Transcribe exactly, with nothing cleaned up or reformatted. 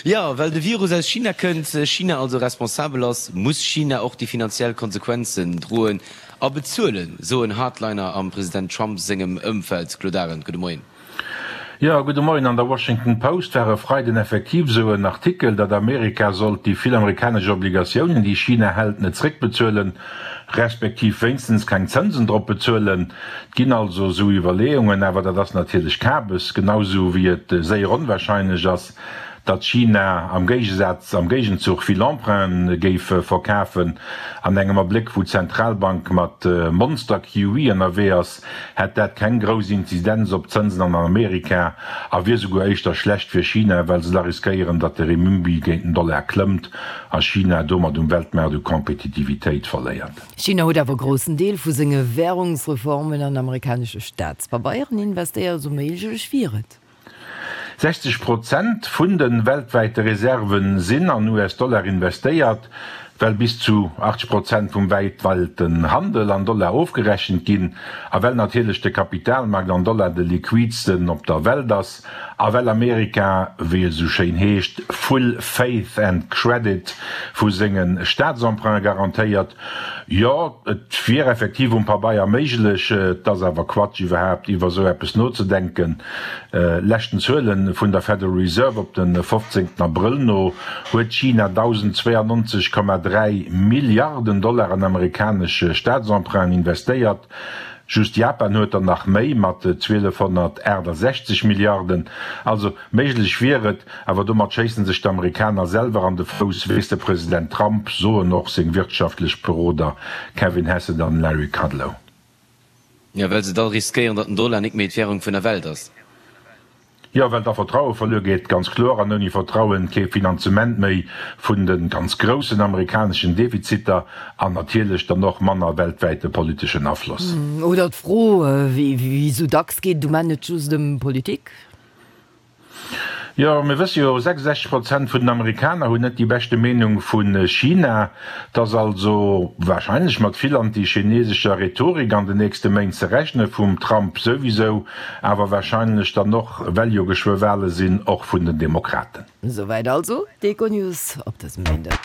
Jo, well de Virus aus China kënnt, China also responsabel ass, muss China och déi finanziell Konsequenzen droen a bezuelen, soen Hardliner am President Trump sengem Ëmfeld. Claude Arend, gudde Moien. Jo, gudde Moien. An der Washington Post war e Freiden effektiv esou en Artikel, datt Amerika sollt déi vill amerikanesch Obligatiounen, déi China hält, net zréckbezuelen, respektiv wéinstens keng Zënsen drop bezuelen. Et ginn also esou Iwwerleeungen, awer dat ass natierlech Kabes, genau esou wéi et séier onwahrscheinlech ass, datt China am Géigesaz, am Géigenzuch vill Emprunten géif verkafen. An engem Abléck wou d'Zentralbank mat Monster-Q E ënnerwee ass, hätt dat keng grouss Inzidenz op d'Zënsen an Amerika a wier souguer éischter schlecht fir China, well se da riskéieren, datt de Renminbi géint den Dollar klëmmt a China domat um Weltmaart u Kompetitivitéit verléiert. China huet awer e groussen Deel vu senge Wärungsreformen an amerikanesche Staatspabeieren investéiert, esou méiglech wier et. sechzeg Prozent vun de weltwäite Reserve sinn an U S-Dollar investéiert, well bis zu achtzeg Prozent vum weltwäiten Handel an Dollar ofgerechent ginn a well natierlech de Kapitalmarkt an Dollar de liquidsten op der Welt ass a well Amerika, wéi et esou schéin heescht, full faith and credit vu senge Staatsemprunte garantéiert. Jo, et wier effektiv um Pabeier méiglech, et ass awer Quatsch iwwerhaapt iwwer esou eppes nozedenken. Leschten Zuele vun der Federal Reserve op de fofzéngten Abrëll no huet China dausendzweeannonzeg Komma dräi Milliarden Dollar an amerikanesch Staatsemprunten investéiert. Just Japan huet der nach méi mat zwielefhonnertaachtasechzeg Milliarden. Also méiglech wier et, awer domat schéissen sech d'Amerikaner selwer an de Fouss, weess de President Trump, soen och seng wirtschaftlech Beroder Kevin Hassett an Larry Kudlow. Jo, well se da riskéieren, datt den Dollar nik méi d'Währung vun der Welt ass. Jo, well da Vertraue verluer geet, ganz kloer, an ouni Vertrauen kee Finanzement méi vun de ganz groussen amerikaneschen Defiziter an natierlech dann och manner weltwäite politeschen Afloss. Oder d'Fro, wéi esou dacks, geet et um Enn net just ëm Politik? Jo, mir wësse jo, sechsundsechzeg Prozent vun den Amerikaner hunn net déi beschte Meenung vu China. Et ass also warscheinlech mat vill anti-chinesescher Rhetorik an den nächste Méint ze rechnen, vum Trump souwisou, awer warscheinlech dann och, well jo geschwë Wale sinn, och vun den Demokraten. Souwäit also d'Econews op dësem Méinden.